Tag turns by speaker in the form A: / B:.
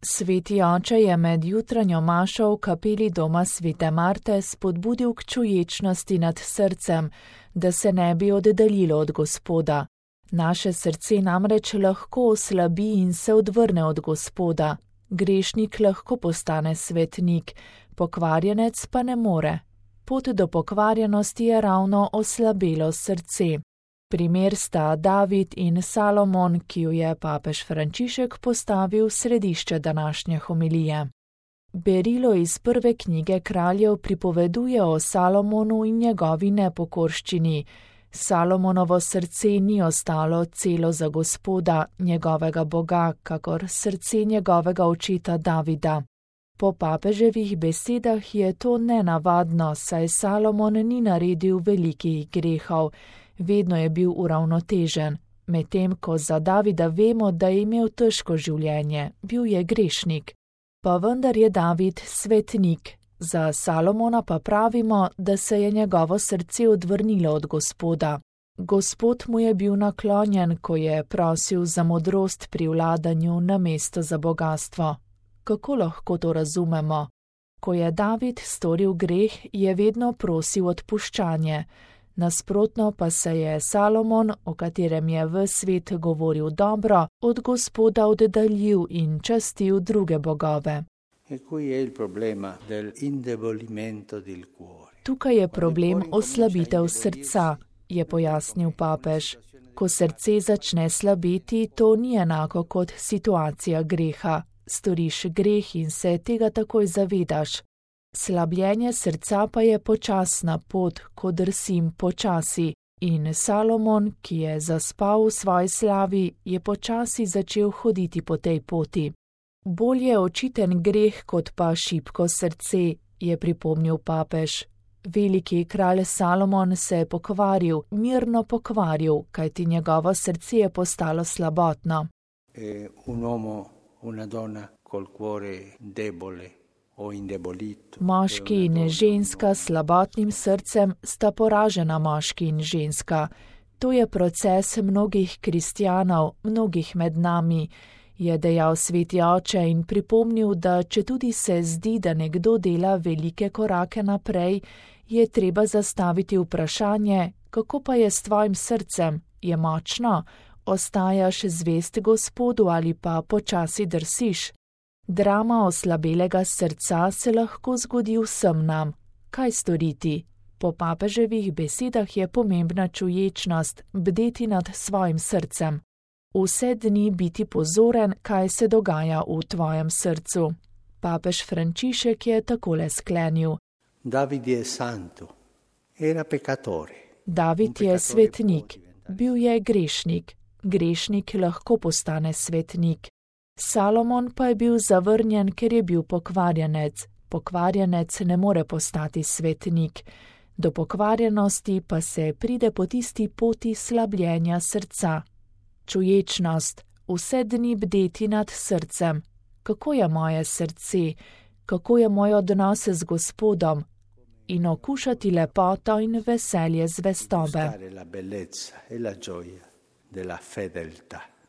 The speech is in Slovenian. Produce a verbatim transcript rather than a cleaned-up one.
A: Sveti oče je med jutranjo mašo v kapeli doma svete Marte spodbudil k čuječnosti nad srcem, da se ne bi oddaljilo od Gospoda. Naše srce namreč lahko oslabi in se odvrne od Gospoda. Grešnik lahko postane svetnik, pokvarjenec pa ne more. Pot do pokvarjenosti je ravno oslabelo srce. Primer sta David in Salomon, ki ju je papež Frančišek postavil v središče današnje homilije. Berilo iz prve knjige Kraljev pripoveduje o Salomonu in njegovi nepokorščini. Salomonovo srce ni ostalo celo za Gospoda, njegovega Boga, kakor srce njegovega očeta Davida. Po papeževih besedah je to nenavadno, saj Salomon ni naredil velikih grehov, vedno je bil uravnotežen, medtem ko za Davida vemo, da je imel težko življenje, bil je grešnik. Pa vendar je David svetnik, za Salomona pa pravimo, da se je njegovo srce odvrnilo od Gospoda. Gospod mu je bil naklonjen, ko je prosil za modrost pri vladanju namesto za bogastvo. Kako lahko to razumemo? Ko je David storil greh, je vedno prosil odpuščanje. Nasprotno pa se je Salomon, o katerem je ves svet govoril dobro, od Gospoda oddaljil in častil druge bogove. Tukaj je problem oslabitev srca, je pojasnil papež. Ko srce začne slabeti, to ni enako kot situacija greha. Storiš greh in se tega takoj zavedaš. Slabljenje srca pa je počasna pot, ko drsim počasi, in Salomon, ki je zaspal v svoji slavi, je počasi začel hoditi po tej poti. Bolj je očiten greh kot pa šibko srce, je pripomnil papež. Veliki kralj Salomon se je pokvaril, mirno pokvaril, kajti njegovo srce je postalo slabotno.
B: E un uomo, una donna col cuore debole.
A: Moški in ženska s slabotnim srcem sta poražena moški in ženska. To je proces mnogih kristjanov, mnogih med nami, je dejal sveti oče in pripomnil, da četudi se zdi, da nekdo dela velike korake naprej, je treba zastaviti vprašanje, kako pa je s tvojim srcem, je močno, ostajaš zvest Gospodu ali pa počasi drsiš. Drama oslabelega srca se lahko zgodi vsem nam. Kaj storiti? Po papeževih besedah je pomembna čuječnost, bdeti nad svojim srcem. Vse dni biti pozoren, kaj se dogaja v tvojem srcu. Papež Frančišek je takole sklenil.
B: David je santo, era peccatore.
A: David je svetnik, bil je grešnik. Grešnik lahko postane svetnik. Salomon pa je bil zavrnjen, ker je bil pokvarjenec. Pokvarjenec ne more postati svetnik. Do pokvarjenosti pa se pride po tisti poti slabljenja srca. Čuječnost, vse dni bdeti nad srcem. Kako je moje srce? Kako je moj odnos z Gospodom? In okušati lepoto in veselje zvestobe.
B: La bellezza e la gioia della fedeltà.